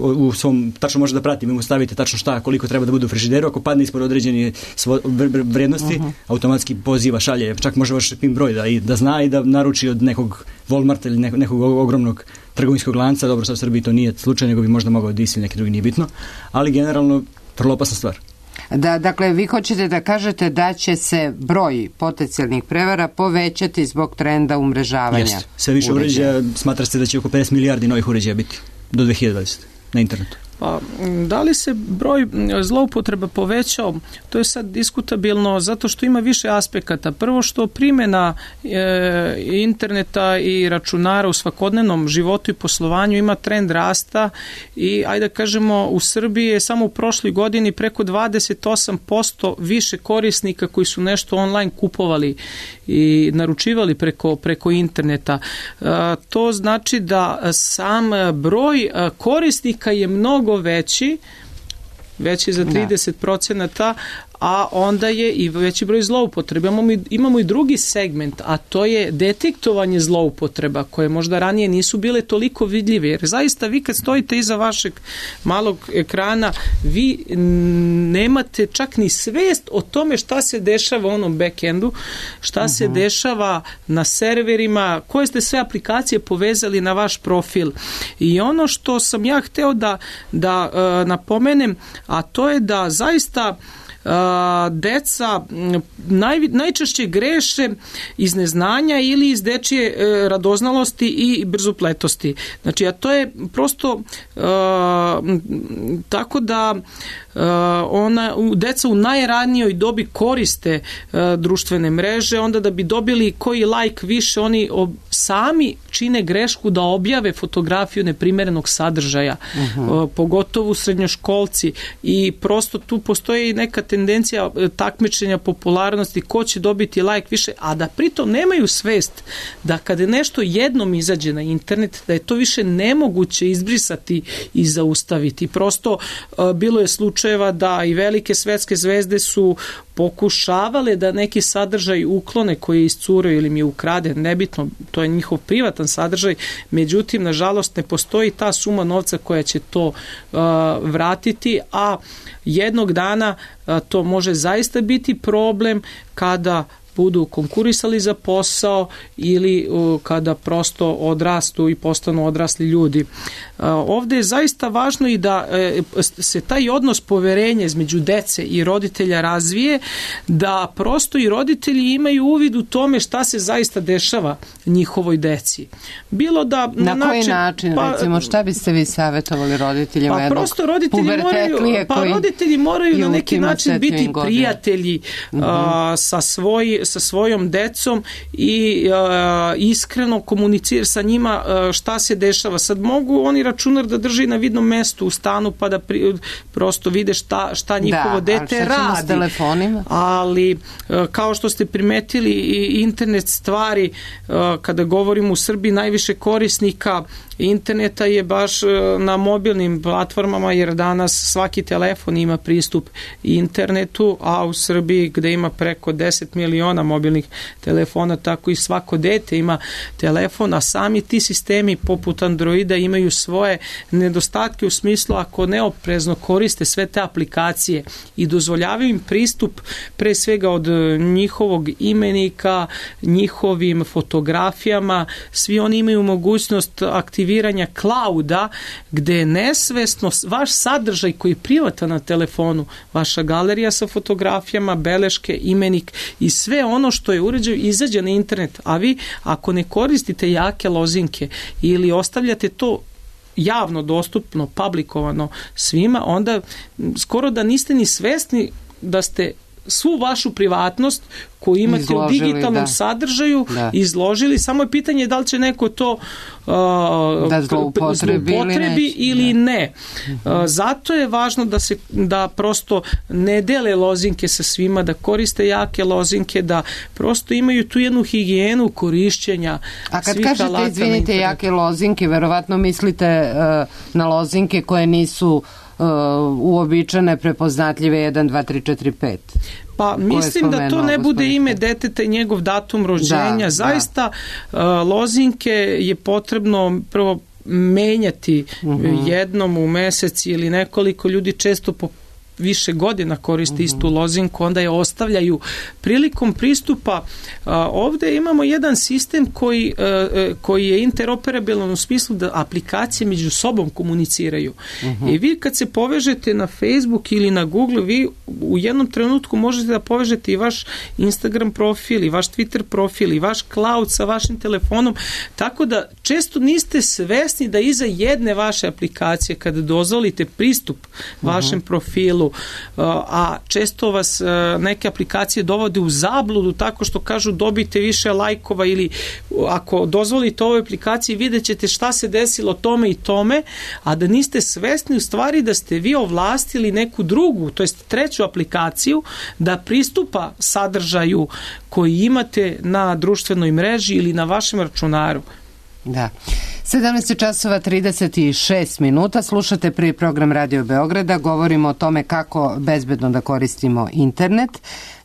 u svom, tačno može da prati, vi mu stavite tačno šta, koliko treba da bude u frižideru, ako padne ispod određene svo, vrednosti, uh-huh. automatski poziva, šalje, čak može vaš pin broj da, i, da zna i da naruči od nekog Walmarta ili nekog, nekog ogromnog trgovinskog lanca, dobro sad u Srbiji to nije slučaj, nego bi možda mogao da isi neki drugi, nije bitno, ali generalno vrlo opasna stvar. Da, dakle, vi hoćete da kažete da će se broj potencijalnih prevara povećati zbog trenda umrežavanja. Jeste. Sve više uređaja, smatra se da će oko pedeset milijardi novih uređaja biti do dve hiljade dvadesete na internetu. Pa, da li se broj zloupotreba povećao? To je sad diskutabilno zato što ima više aspekata. Prvo što primjena e, interneta i računara u svakodnevnom životu i poslovanju ima trend rasta i ajde da kažemo u Srbiji je samo u prošloj godini preko dvadeset osam posto više korisnika koji su nešto online kupovali i naručivali preko, preko interneta. E, to znači da sam broj korisnika je mnogo veći, veći za trideset procenata, a onda je i veći broj zloupotreba. Imamo, imamo i drugi segment, a to je detektovanje zloupotreba, koje možda ranije nisu bile toliko vidljive. Jer zaista vi kad stojite iza vašeg malog ekrana, vi nemate čak ni svest o tome šta se dešava u onom backendu, šta uh-huh. se dešava na serverima, koje ste sve aplikacije povezali na vaš profil. I ono što sam ja hteo da, da uh, napomenem, a to je da zaista Uh, deca naj, najčešće greše iz neznanja ili iz dečije uh, radoznalosti i brzopletosti. Znači, a to je prosto uh, tako da uh, ona, deca u najranijoj dobi koriste uh, društvene mreže, onda da bi dobili koji like više, oni ob, sami čine grešku da objave fotografiju neprimerenog sadržaja, uh-huh. uh, pogotovo srednjoškolci, i prosto tu postoji neka tendencija takmičenja popularnosti, ko će dobiti like više, a da pritom nemaju svest da kada nešto jednom izađe na internet, da je to više nemoguće izbrisati i zaustaviti. Prosto uh, bilo je slučajeva da i velike svetske zvezde su pokušavale da neki sadržaj uklone koji je iscurio ili mi je ukraden, nebitno, to je njihov privatan sadržaj, međutim, nažalost, ne postoji ta suma novca koja će to uh, vratiti, a jednog dana uh, to može zaista biti problem kada budu konkurisali za posao ili uh, kada prosto odrastu i postanu odrasli ljudi. Uh, ovde je zaista važno i da uh, se taj odnos poverenja između dece i roditelja razvije, da prosto i roditelji imaju uvid u tome šta se zaista dešava njihovoj deci. Bilo da na, na koji način, način pa, recimo, šta biste vi savjetovali roditeljima? Pa prosto roditelji moraju, pa roditelji moraju na neki način biti godine. prijatelji uh-huh. uh, sa svoj sa svojom decom i uh, iskreno komunicirati sa njima uh, šta se dešava. Sad mogu oni računar da drži na vidnom mestu u stanu pa da pri, prosto vide šta, šta njihovo da, dete radi. S telefonima? Ali uh, kao što ste primetili i internet stvari, uh, kada govorimo u Srbiji, najviše korisnika interneta je baš na mobilnim platformama, jer danas svaki telefon ima pristup internetu, a u Srbiji gde ima preko deset miliona mobilnih telefona, tako i svako dete ima telefon, a sami ti sistemi poput Androida imaju svoje nedostatke u smislu ako neoprezno koriste sve te aplikacije i dozvoljavaju im pristup pre svega od njihovog imenika, njihovim fotografijama, svi oni imaju mogućnost aktiviranja clouda, gde je nesvesno vaš sadržaj koji je privatan na telefonu, vaša galerija sa fotografijama, beleške, imenik i sve ono što je uređaj izađe na internet, a vi ako ne koristite jake lozinke ili ostavljate to javno dostupno, publikovano svima, onda skoro da niste ni svesni da ste svu vašu privatnost koju imate izložili, u digitalnom da. sadržaju da. izložili, samo je pitanje da li će neko to uh, da zloupotrebi, zloupotrebi ili ne. Uh, zato je važno da se da prosto ne dele lozinke sa svima, da koriste jake lozinke, da prosto imaju tu jednu higijenu korišćenja. A kad kažete, izvinite, jake lozinke, verovatno mislite uh, na lozinke koje nisu Uh, uobičajene, prepoznatljive jedan, dva, tri, četiri, pet. Pa mislim da to ne bude ime deteta i njegov datum rođenja. Da, Zaista da. Uh, lozinke je potrebno prvo menjati uh-huh. jednom u mesec ili nekoliko ljudi često po više godina koriste istu lozinku, onda je ostavljaju prilikom pristupa. A, ovde imamo jedan sistem koji, a, koji je interoperabilan u smislu da aplikacije među sobom komuniciraju. Uh-huh. I vi kad se povežete na Facebook ili na Google, vi u jednom trenutku možete da povežete i vaš Instagram profil, i vaš Twitter profil, i vaš cloud sa vašim telefonom, tako da često niste svesni da iza jedne vaše aplikacije, kada dozvolite pristup vašem uh-huh. profilu, a često vas neke aplikacije dovode u zabludu tako što kažu dobijte više lajkova, ili ako dozvolite ovoj aplikaciji vidjet ćete šta se desilo tome i tome, a da niste svesni u stvari da ste vi ovlastili neku drugu, to jest treću aplikaciju da pristupa sadržaju koji imate na društvenoj mreži ili na vašem računaru. Da. sedamnaest časova trideset šest minuta, slušate prvi program Radio Beograda, govorimo o tome kako bezbedno da koristimo internet.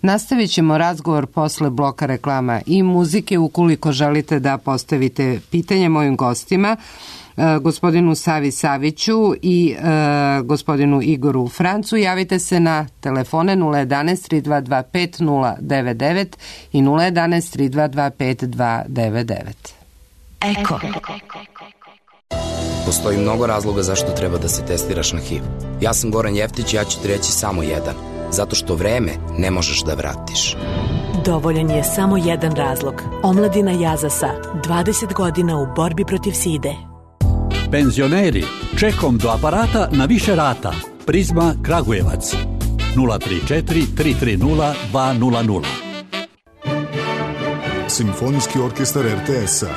Nastavit ćemo razgovor posle bloka reklama i muzike. Ukoliko želite da postavite pitanje mojim gostima, gospodinu Savi Saviću i e, gospodinu Igoru Francu, javite se na telefone nula jedan tri dva dva pet nula devet devet i nula jedan tri dva dva pet dva devet devet. Eko. Postoji mnogo razloga zašto treba da se testiraš na H I V. Ja sam Goran Jeftić i ja ću ti reći samo jedan. Zato što vreme ne možeš da vratiš. Dovoljan je samo jedan razlog. Omladina Jazasa, dvadeset godina u borbi protiv side. Penzioneri, čekom do aparata na više rata. Prizma Kragujevac. nula tri četiri tri tri nula dva nula nula. Simfonijski orkestar er te es-a.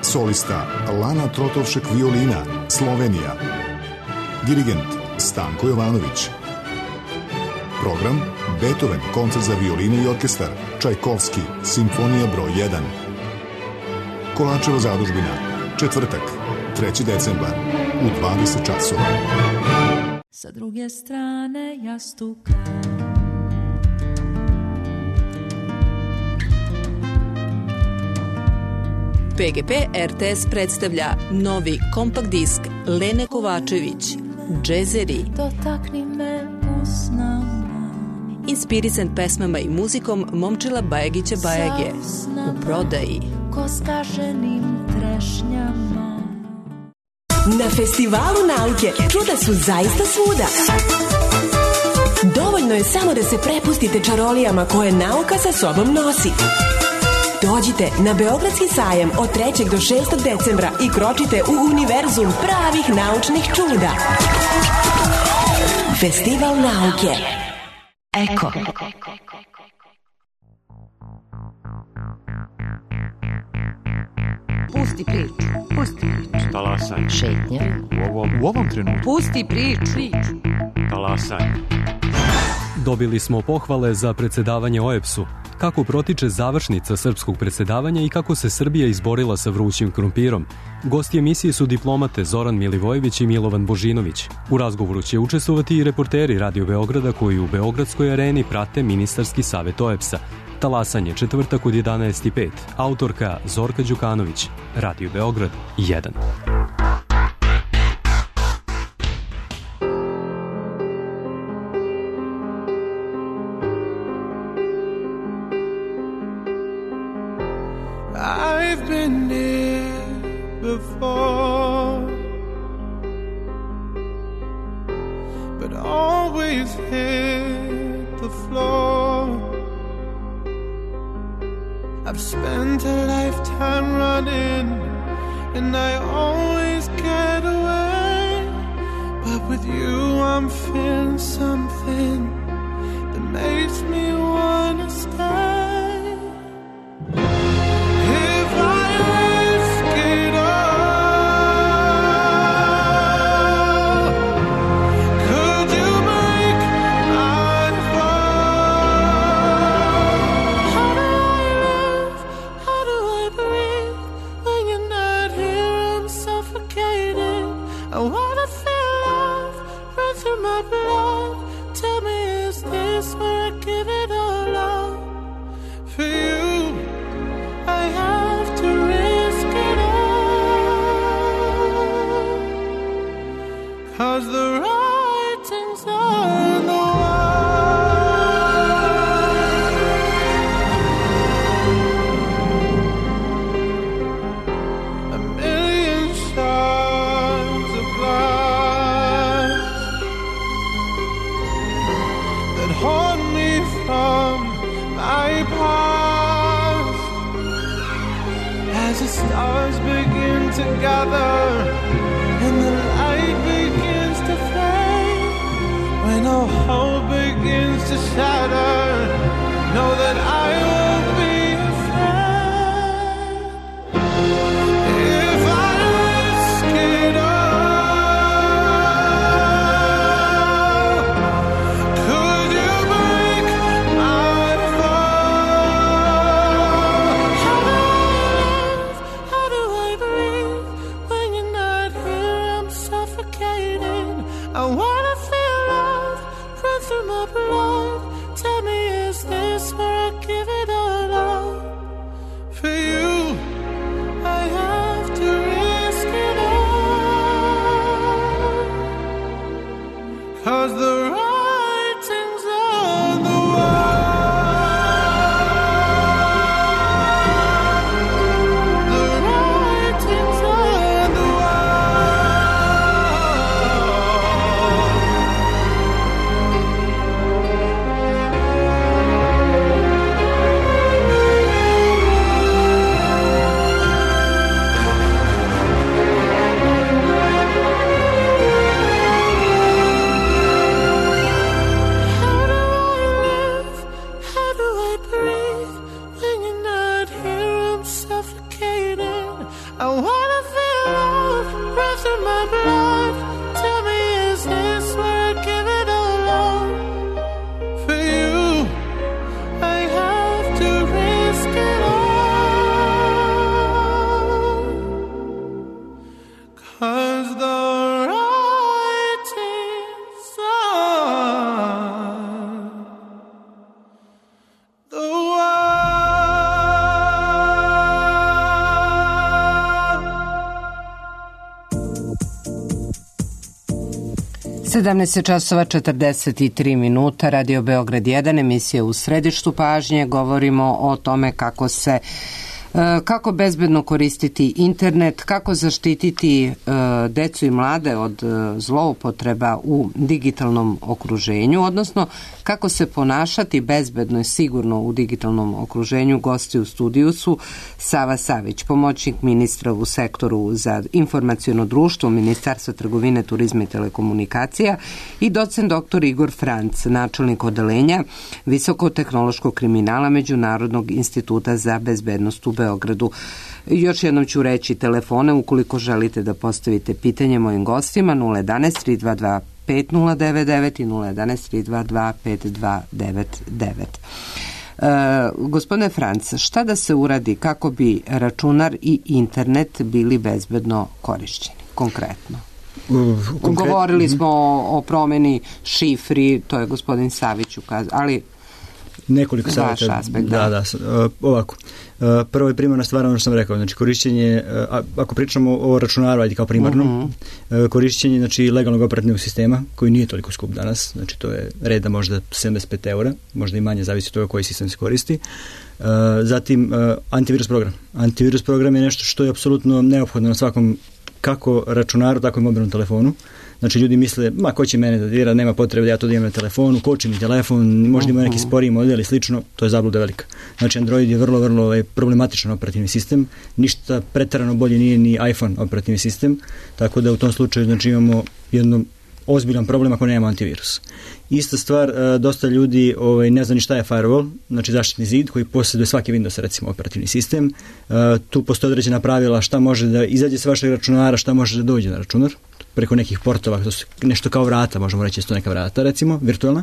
Solista Lana Trotovšek violina, Slovenija. Dirigent Stanko Jovanović. Program Beethoven, koncert za violinu i orkestar, Čajkovski, simfonija broj jedan. Kolančeva zadužbina, četvrtak, treći decembar, u dvadeset časova. Sa druge strane jastuka P G P er te es predstavlja novi kompakt disk Lene Kovačević, Džezeri. Dotakni me usnama. Inspirisan pesmama i muzikom Momčila Bajagića Bajage. U prodaji. Ko skaženim trešnjama. Na Festivalu nauke čuda su zaista svuda. Dovoljno je samo da se prepustite čarolijama koje nauka sa sobom nosi. Dođite na Beogradski sajam od trećeg do šestog decembra i kročite u univerzum pravih naučnih čuda. Festival nauke. Eko. Pusti priču. Pusti priču. Talasaj. Šetnja. U ovom, u ovom trenutku. Pusti priču. Talasaj. Dobili smo pohvale za predsedavanje o e pe su. Kako protiče završnica srpskog predsedavanja i kako se Srbija izborila sa vrućim krompirom. Gosti emisije su diplomate Zoran Milivojević i Milovan Božinović. U razgovoru će učestvovati i reporteri Radio Beograda koji u Beogradskoj areni prate ministarski savet o e pe sa. Talasanje četvrtak od jedanaest i pet. Autorka Zorka Đukanović. Radio Beograd jedan. I've been here before, but always hit the floor. I've spent a lifetime running, and I always get away. But with you I'm feeling something that makes me wanna stay. If I risk it all, could you make my fall? How do I live? How do I breathe? When you're not here, I'm suffocating. I wanna feel love run through my blood. Tell me, is this where I give it all up? For you, I have to risk it all. 'Cause the writing's on the wall. A million shards of glass that haunt me from my past. As the stars begin to gather and the light begins to fade, when all hope begins to shatter, know that I won't be afraid. If I risk it all, could you break my fall? How do I live? How do I breathe? When you're not here, I'm suffocating. I wanna feel love run through my blood. Tell me, is this where I give it all up? For you, I have to risk it all. 'Cause the writing's on the wall. The writing's on the How do I live? How do I breathe? When you're not here, I'm suffocating. I wanna feel love run through my blood. Tell me, is this where I give it all up? For you, I have to risk it all. 'Cause the writing's on the sedamnaest časova četrdeset tri minuta, Radio Beograd jedan, emisija U središtu pažnje. Govorimo o tome kako se kako bezbedno koristiti internet, kako zaštititi decu i mlade od zloupotreba u digitalnom okruženju, odnosno kako se ponašati bezbedno i sigurno u digitalnom okruženju. Gosti u studiju su Sava Savić, pomoćnik ministra u sektoru za informaciono društvo Ministarstva trgovine, turizma i telekomunikacija, i docent doktor Igor Franc, načelnik odeljenja visokotehnološkog kriminala Međunarodnog instituta za bezbednost u Beogradu. Još jednom ću reći telefone ukoliko želite da postavite pitanje mojim gostima: nula jedanaest tri dva dva pet nula devet devet i nula jedanaest tri dva dva pet dva devet devet. Uh, gospodine Franc, šta da se uradi kako bi računar i internet bili bezbedno korišćeni konkretno? Konkret... Govorili smo o, o promeni šifri, to je gospodin Savić ukazao, ali nekoliko savjeta. Aspekt, da, da, da uh, ovako. Uh, prvo je primarna stvar, ono što sam rekao, znači korišćenje, uh, ako pričamo o računaru, ajde kao primarno, uh-huh. uh, korišćenje znači legalnog operativnog sistema, koji nije toliko skup danas, znači to je reda možda sedamdeset pet eura, možda i manje, zavisi od toga koji sistem se koristi. Uh, zatim uh, antivirus program. Antivirus program je nešto što je apsolutno neophodno na svakom, kako računaru, tako i mobilnom telefonu. Znači ljudi misle, ma ko će mene da dira, nema potrebe da ja to da imam na telefonu, koči mi telefon, možda ima neki sporiji model i slično, to je zabluda velika. Znači Android je vrlo, vrlo je problematičan operativni sistem, ništa preterano bolje nije ni iPhone operativni sistem, tako da u tom slučaju znači imamo jedno ozbiljan problem ako nemamo antivirus. Ista stvar, dosta ljudi ovaj, ne zna ni šta je firewall, znači zaštitni zid koji posjeduje svaki Windows, recimo operativni sistem. Tu postoje određena pravila šta može da izađe s vašeg računara, šta može da dođe na računar, preko nekih portova, to su nešto kao vrata, možemo reći isto neka vrata, recimo, virtualna,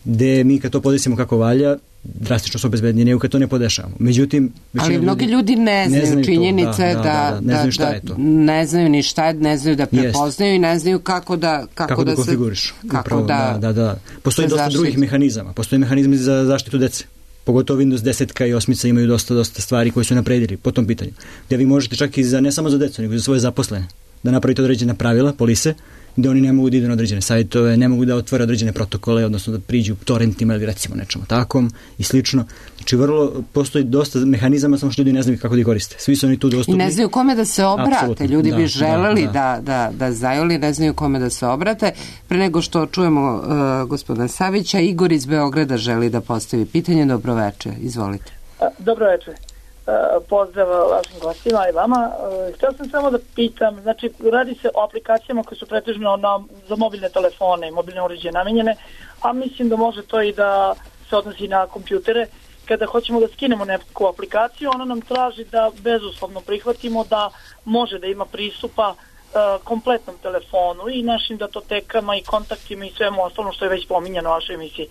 gde mi kad to podesimo kako valja, drastično su obezbednije nego kad to ne podešavamo. Međutim, ali mnogi ljudi ne znaju, ne znaju činjenice to, da, da, da, da, ne znaju šta je to. Ne znaju ni šta je, ne znaju da prepoznaju Jest. I ne znaju kako da kako, kako da, da konfiguriš. Kako Upravo, da, da, da. Postoji dosta zaštiti. Drugih mehanizama. Postoje mehanizmi za zaštitu dece. Pogotovo Windows deset i osam imaju dosta, dosta stvari koje su napredili po tom pitanju. Gde vi možete čak i za, ne samo za decu, nego i za svoje zaposlene, da napravite određena pravila, polise, gde oni ne mogu da idu na određene sajtove, ne mogu da otvore određene protokole, odnosno da priđu torrentima ili recimo nečemu takom i slično. Znači vrlo, postoji dosta mehanizama, samo što ljudi ne znaju kako da ih koriste. Svi su oni tu dostupni. I ne znaju kome da se obrate. Apsolutno. Ljudi da, bi želeli da, da. Da, da, da zajoli, ne znaju kome da se obrate. Pre nego što čujemo uh, gospodina Savića, Igor iz Beograda želi da postavi pitanje. Dobroveče, izvolite. Dobroveče. Pozdrav vašim gostima i vama. Htio sam samo da pitam, znači radi se o aplikacijama koje su pretežno na, za mobilne telefone i mobilne uređaje namenjene, a mislim da može to i da se odnosi na kompjutere. Kada hoćemo da skinemo neku aplikaciju, ona nam traži da bezuslovno prihvatimo da može da ima pristupa uh, kompletnom telefonu i našim datotekama i kontaktima i svemu ostalom što je već pominjano u vašoj emisiji.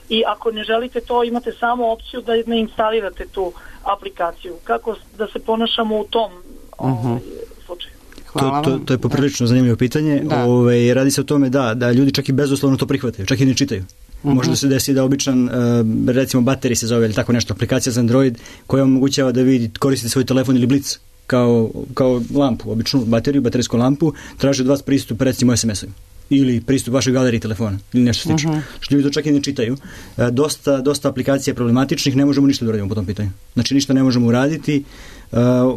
I ako ne želite to, imate samo opciju da ne instalirate tu aplikaciju. Kako da se ponašamo u tom uh-huh. ovaj, slučaju? To, to, to je poprilično zanimljivo pitanje. Ove, radi se o tome da, da ljudi čak i bezuslovno to prihvataju, čak i ne čitaju. Uh-huh. Može da se desi da običan, recimo Battery se zove ili tako nešto, aplikacija za Android koja omogućava da vi koristite svoj telefon ili blic kao, kao lampu, običnu bateriju, baterijsku lampu, traži od vas pristup recimo es em es-ovima ili pristup vašoj galeriji telefona ili nešto slično. Uh-huh. Što ljudi to čak i ne čitaju. E, dosta, dosta aplikacija problematičnih, ne možemo ništa da uradimo po tom pitanju. Znači ništa ne možemo uraditi, e,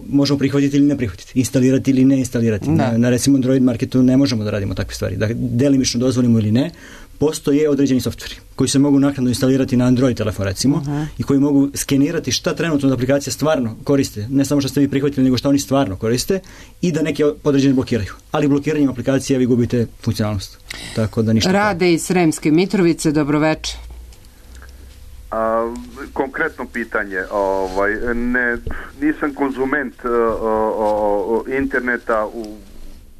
možemo prihvatiti ili ne prihvatiti, instalirati ili ne instalirati. Na, na recimo Android marketu ne možemo da radimo takve stvari. Da delimično dozvolimo ili ne, postoje određeni softveri koji se mogu naknadno instalirati na Android telefon recimo uh-huh. i koji mogu skenirati šta trenutno aplikacija stvarno koriste, ne samo što ste vi prihvatili nego šta oni stvarno koriste i da neke određene blokiraju. Ali blokiranjem aplikacija vi gubite funkcionalnost. Tako da ništa. Rade iz Sremske Mitrovice, dobroveče. A, konkretno pitanje, ovaj, ne, nisam konzument o, o, o, interneta u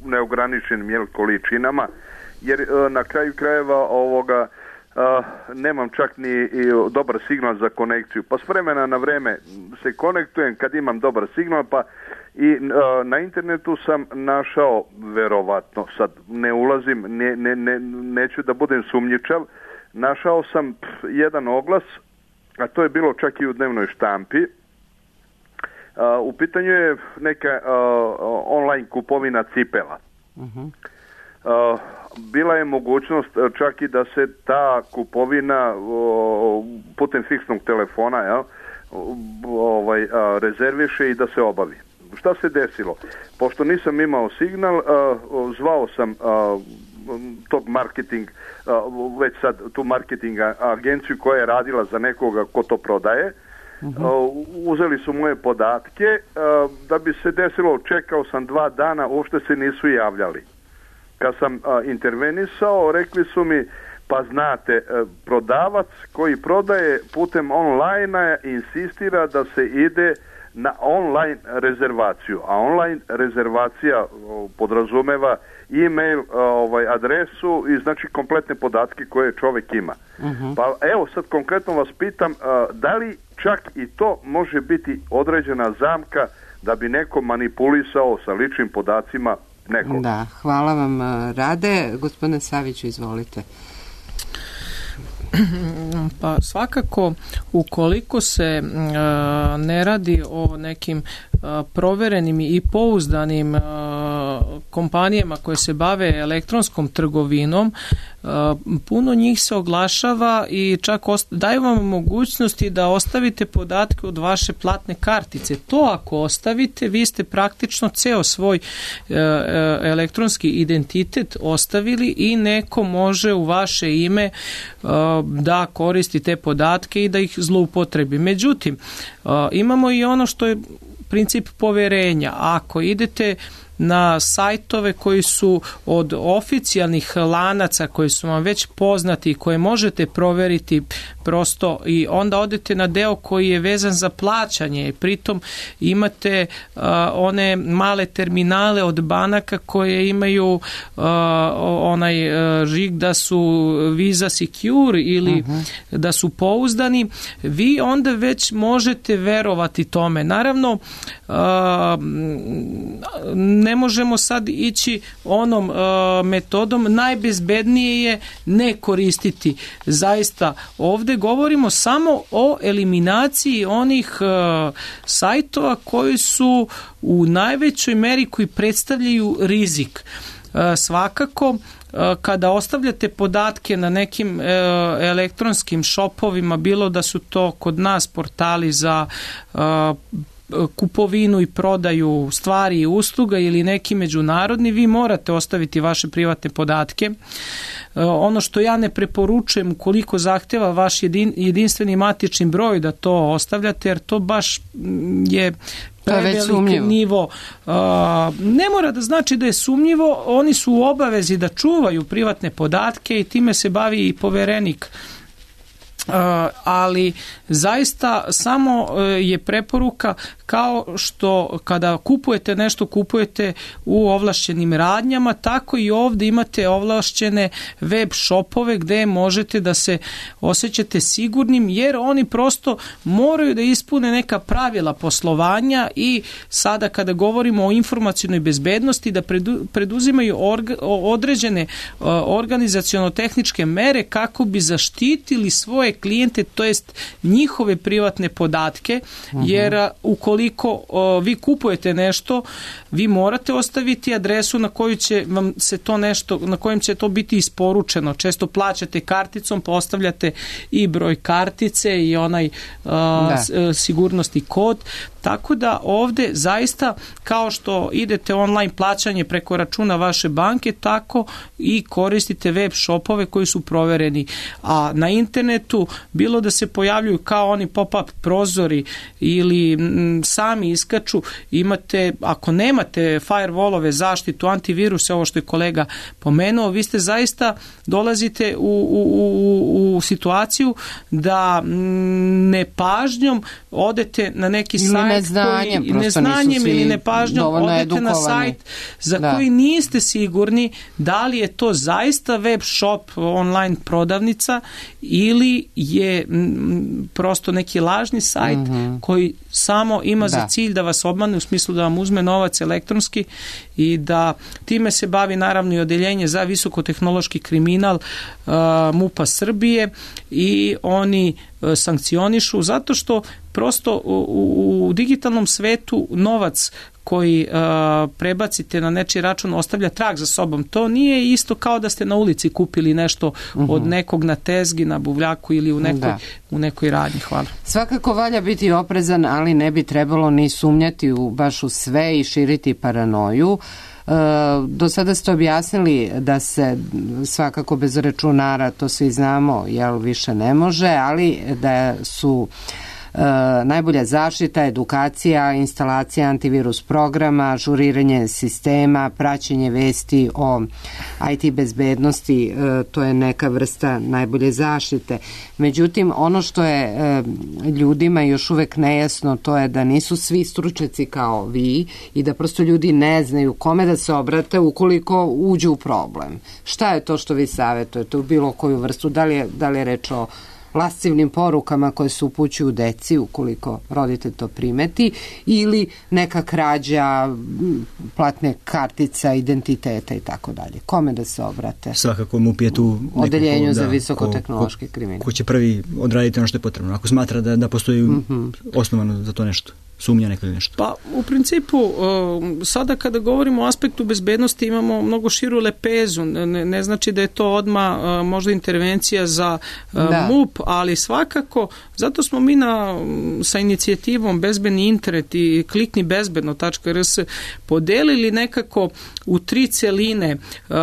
neograničenim jel, količinama, jer na kraju krajeva ovoga a, nemam čak ni i dobar signal za konekciju. Pa s vremena na vreme se konektujem kad imam dobar signal, pa i a, na internetu sam našao, verovatno, sad ne ulazim, ne, ne, ne, neću da budem sumnjičav, našao sam pf, jedan oglas, a to je bilo čak i u dnevnoj štampi. A, u pitanju je neka a, online kupovina cipela. Uh-huh. Uh, bila je mogućnost čak i da se ta kupovina uh, putem fiksnog telefona jel, ovaj, uh, rezerviše i da se obavi. Šta se desilo? Pošto nisam imao signal, uh, zvao sam uh, tog marketing, uh, već sad tu marketing agenciju koja je radila za nekoga ko to prodaje. Uh-huh. Uh, uzeli su moje podatke, uh, da bi se desilo, čekao sam dva dana, uopšte se nisu javljali. Kad sam a, intervenisao, rekli su mi, pa znate, prodavac koji prodaje putem online insistira da se ide na online rezervaciju, a online rezervacija o, podrazumeva e-mail, o, ovaj, adresu i znači kompletne podatke koje čovjek ima. Uh-huh. Pa evo sad konkretno vas pitam, a, da li čak i to može biti određena zamka da bi neko manipulisao sa ličnim podacima nekog. Da, hvala vam, Rade. Gospodine Saviću, izvolite. Pa svakako, ukoliko se uh, ne radi o nekim uh, proverenim i pouzdanim uh, kompanijama koje se bave elektronskom trgovinom, uh, puno njih se oglašava i čak osta- daju vam mogućnosti da ostavite podatke od vaše platne kartice. To ako ostavite, vi ste praktično ceo svoj uh, elektronski identitet ostavili i neko može u vaše ime uh, da koristi te podatke i da ih zloupotrebi. Međutim, imamo i ono što je princip poverenja. Ako idete na sajtove koji su od oficijalnih lanaca koji su vam već poznati i koje možete proveriti prosto, i onda odete na deo koji je vezan za plaćanje i pritom imate uh, one male terminale od banaka koje imaju uh, onaj uh, žig da su Visa Secure ili uh-huh. da su pouzdani, vi onda već možete verovati tome. Naravno, uh, ne možemo sad ići onom uh, metodom, najbezbednije je ne koristiti. Zaista, ovde govorimo samo o eliminaciji onih uh, sajtova koji su u najvećoj meri koji predstavljaju rizik. Uh, svakako, kada ostavljate podatke na nekim elektronskim shopovima, bilo da su to kod nas portali za kupovinu i prodaju stvari i usluga ili neki međunarodni, vi morate ostaviti vaše privatne podatke. Ono što ja ne preporučujem, ukoliko zahteva vaš jedin, jedinstveni matični broj da to ostavljate, jer to baš je prevelik nivo. Uh, ne mora da znači da je sumnjivo, oni su u obavezi da čuvaju privatne podatke i time se bavi i poverenik. Uh, ali zaista samo uh, je preporuka, kao što kada kupujete nešto, kupujete u ovlašćenim radnjama, tako i ovdje imate ovlašćene web shopove gdje možete da se osjećate sigurnim, jer oni prosto moraju da ispune neka pravila poslovanja i sada kada govorimo o informacionoj bezbednosti da predu, preduzimaju orga, određene uh, organizaciono-tehničke mere kako bi zaštitili svoje klijente, to jest njihove privatne podatke, uh-huh. jer uh, ukoliko Koliko o, vi kupujete nešto, vi morate ostaviti adresu na koju će vam se to nešto, na kojem će to biti isporučeno. Često plaćate karticom, postavljate i broj kartice i onaj a, s, sigurnosni kod. Tako da ovde zaista, kao što idete online plaćanje preko računa vaše banke, tako i koristite web shopove koji su provereni. A na internetu, bilo da se pojavljuju kao oni pop-up prozori ili m, sami iskaču, imate, ako nemate firewallove, zaštitu, antiviruse, ovo što je kolega pomenuo, vi ste zaista dolazite u, u, u, u situaciju da nepažnjom odete na neki ili sajt neznanjem, koji, neznanjem ili nepažnjom odete edukovani. Na sajt za da. koji niste sigurni da li je to zaista web shop, online prodavnica ili je m, prosto neki lažni sajt mm-hmm. koji samo ima da. za cilj da vas obmane, u smislu da vam uzme novac elektronski, i da time se bavi naravno i odeljenje za visokotehnološki kriminal uh, MUP-a Srbije, i oni uh, sankcionišu zato što prosto u, u digitalnom svetu novac koji uh, prebacite na nečiji račun ostavlja trag za sobom. To nije isto kao da ste na ulici kupili nešto uh-huh. od nekog na tezgi, na buvljaku ili u nekoj, da. u nekoj radnji. Hvala. Svakako valja biti oprezan, ali ne bi trebalo ni sumnjati u, baš u sve i širiti paranoju. E, do sada ste objasnili da se svakako bez računara, to svi znamo, jel više ne može, ali da su Uh, najbolja zaštita, edukacija, instalacija antivirus programa, ažuriranje sistema, praćenje vesti o I T bezbednosti, uh, to je neka vrsta najbolje zaštite. Međutim, ono što je uh, ljudima još uvek nejasno, to je da nisu svi stručnjaci kao vi i da prosto ljudi ne znaju kome da se obrate ukoliko uđu u problem. Šta je to što vi savjetujete u bilo koju vrstu? Da li je, da li je reč o lascivnim porukama koje se upućuju deci ukoliko roditelj to primeti, ili neka krađa platne kartica, identiteta i tako dalje? Kome da se obrate? Svakako MUP je tu odeljenju za visokotehnološki kriminal. Ko će prvi odraditi ono što je potrebno, ako smatra da, da postoji mm-hmm. osnovano za to nešto, sumnja neko ili nešto. Pa u principu sada kada govorimo o aspektu bezbednosti imamo mnogo širu lepezu, ne, ne znači da je to odmah možda intervencija za da. MUP, ali svakako zato smo mi na, sa inicijativom Bezbedni internet i klikni bezbedno tačka r s podelili nekako u tri celine uh,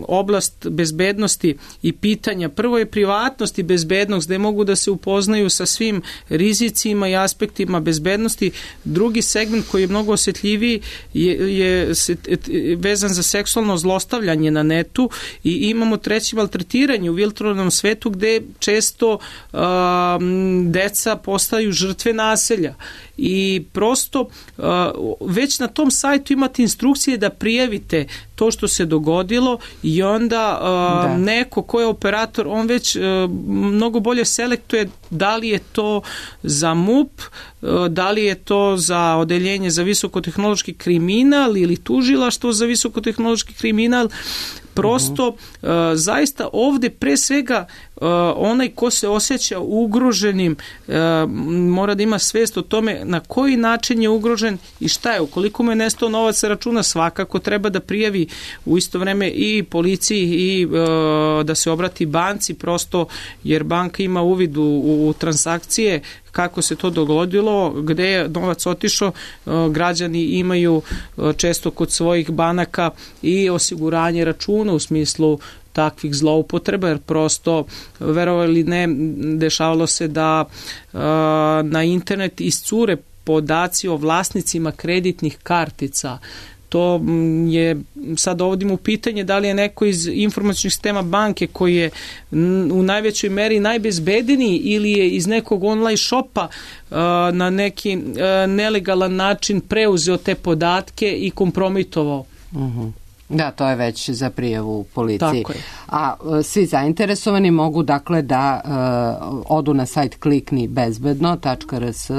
oblast bezbednosti i pitanja. Prvo je privatnost i bezbednost, gde mogu da se upoznaju sa svim rizicima i aspektima bezbednosti. Drugi segment koji je mnogo osjetljiviji je, je vezan za seksualno zlostavljanje na netu i imamo treći maltretiranje u virtualnom svetu gde često uh, deca postaju žrtve nasilja. I prosto uh, već na tom sajtu imate instrukcije da prijavite to što se dogodilo i onda uh, da. neko ko je operator, on već uh, mnogo bolje selektuje da li je to za M U P, uh, da li je to za odeljenje za visokotehnološki kriminal ili tužilaštvo za visokotehnološki kriminal. Prosto, uh, zaista ovde pre svega uh, onaj ko se osjeća ugroženim uh, mora da ima svest o tome na koji način je ugrožen i šta je. Ukoliko mu je nestao novac sa računa, svakako treba da prijavi u isto vreme i policiji i uh, da se obrati banci, prosto jer banka ima uvid u, u transakcije, kako se to dogodilo, gde je novac otišao, građani imaju često kod svojih banaka i osiguranje računa u smislu takvih zloupotreba, jer prosto, verovali ili ne, dešavalo se da na internet iscure podaci o vlasnicima kreditnih kartica. To je, sad dovodimo u pitanje da li je neko iz informacionih sistema banke koji je u najvećoj meri najbezbedniji ili je iz nekog online shopa uh, na neki uh, nelegalan način preuzeo te podatke i kompromitovao. Uh-huh. Da, to je već za prijavu policiji. A uh, svi zainteresovani mogu dakle da uh, odu na sajt klikni bezbedno tačka r s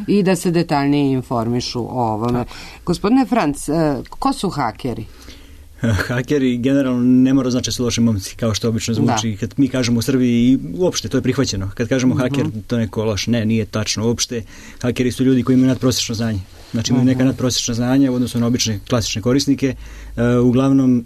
i da se detaljnije informišu o ovome. Tako. Gospodine Franc, uh, ko su hakeri? Hakeri generalno ne mora znači su loši momci, kao što obično zvuči. Da. Kad mi kažemo u Srbiji, uopšte to je prihvaćeno. Kad kažemo uh-huh. haker, to neko loš. Ne, nije tačno uopšte. Hakeri su ljudi koji imaju nadprosečno znanje. Znači imaju uh-huh. neka nadprosečna znanja u odnosu na obične klasične korisnike. Uh, uglavnom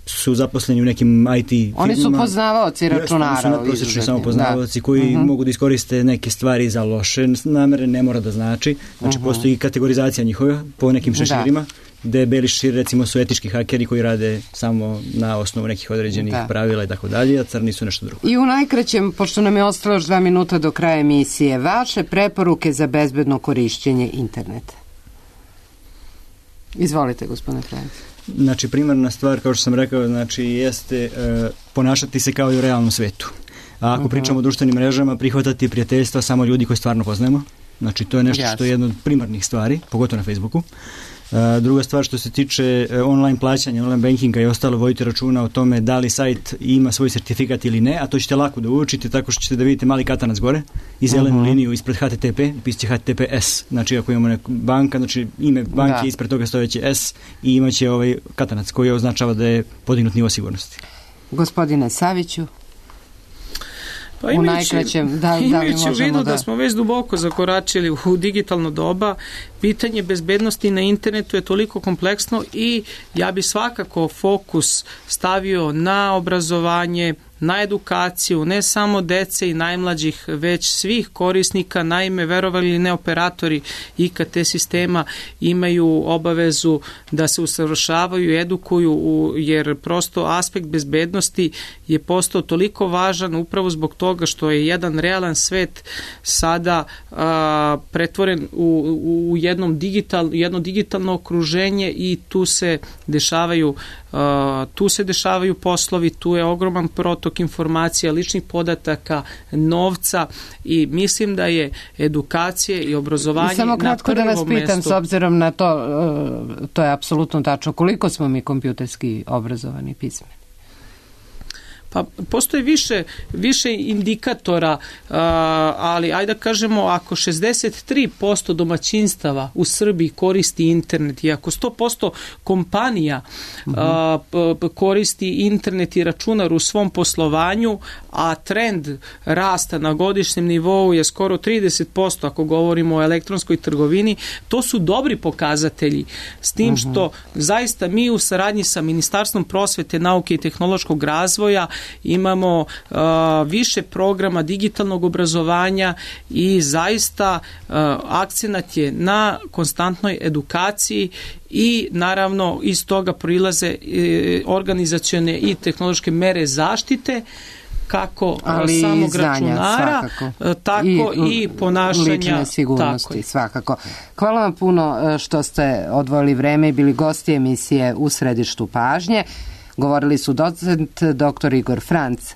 su zaposleni u nekim I T firmama. Oni su poznavaoci računara. Oni su nadprosečni samo poznavaoci da. koji uh-huh. mogu da iskoriste neke stvari za loše namere, ne mora da znači. Znači uh-huh. postoji kategorizacija njihova po nekim šeširima. Da. Gde beli šeširi recimo su etički hakeri koji rade samo na osnovu nekih određenih da. pravila i tako dalje, a crni su nešto drugo. I u najkraćem, pošto nam je ostalo još dva minuta do kraja emisije, vaše preporuke za bezbedno korišćenje interneta. Izvolite, gospodine Franc. Znači, primarna stvar, kao što sam rekao, znači, jeste uh, ponašati se kao i u realnom svetu. A ako uh-huh. pričamo o društvenim mrežama, prihvatati prijateljstva samo ljudi koji stvarno poznajemo. Znači, to je nešto yes. što je jedna od primarnih stvari, pogotovo na Facebooku. Uh, druga stvar što se tiče uh, online plaćanja, online bankinga i ostalo, vodite računa o tome da li sajt ima svoj sertifikat ili ne, a to ćete lako da učite tako što ćete da vidite mali katanac gore i zelenu uh-huh. liniju ispred H T T P, pisaće H T T P S. Znači ako imamo neku banka, znači ime banke da. ispred toga stojeće S i imaće ovaj katanac koji označava da je podignut nivo sigurnosti. Gospodine Saviću. Pa imajući, da, imajući u vidu da... da smo već duboko zakoračili u digitalno doba, pitanje bezbednosti na internetu je toliko kompleksno i ja bi svakako fokus stavio na obrazovanje, na edukaciju, ne samo dece i najmlađih, već svih korisnika. Naime, verovali ili ne, operatori I K T sistema imaju obavezu da se usavršavaju, edukuju, jer prosto aspekt bezbednosti je postao toliko važan upravo zbog toga što je jedan realan svet sada a, pretvoren u, u jednom digital, jedno digitalno okruženje i tu se dešavaju Uh, tu se dešavaju poslovi, tu je ogroman protok informacija, ličnih podataka, novca i mislim da je edukacija i obrazovanje samo kratko na prvom da vas pitam mestu. S obzirom na to, uh, to je apsolutno tačno, koliko smo mi kompjuterski obrazovani i pismeni? Pa postoji više, više indikatora, uh, ali ajde da kažemo, ako šezdeset tri posto domaćinstava u Srbiji koristi internet i ako sto posto kompanija uh-huh. uh, koristi internet i računar u svom poslovanju, a trend rasta na godišnjem nivou je skoro trideset posto ako govorimo o elektronskoj trgovini, to su dobri pokazatelji. S tim uh-huh. što zaista mi u saradnji sa Ministarstvom prosvete, nauke i tehnološkog razvoja imamo a, više programa digitalnog obrazovanja i zaista a, akcenat je na konstantnoj edukaciji i naravno iz toga proilaze e, organizacione i tehnološke mere zaštite kako ali samog znanja, računara, svakako. tako i, i ponašanja. Lične sigurnosti, svakako. Hvala vam puno što ste odvojili vreme i bili gosti emisije U središtu pažnje. Govorili su docent doktor Igor Franc,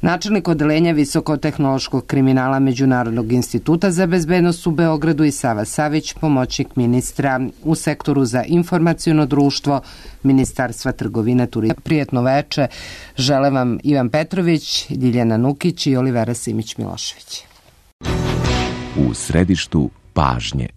načelnik odeljenja visokotehnološkog kriminala Međunarodnog instituta za bezbednost u Beogradu, i Sava Savić, pomoćnik ministra u sektoru za informaciono društvo Ministarstva trgovine, turizma. Prijetno veče žele vam Ivan Petrović, Ljiljana Nukić i Olivera Simić-Milošević. U središtu pažnje.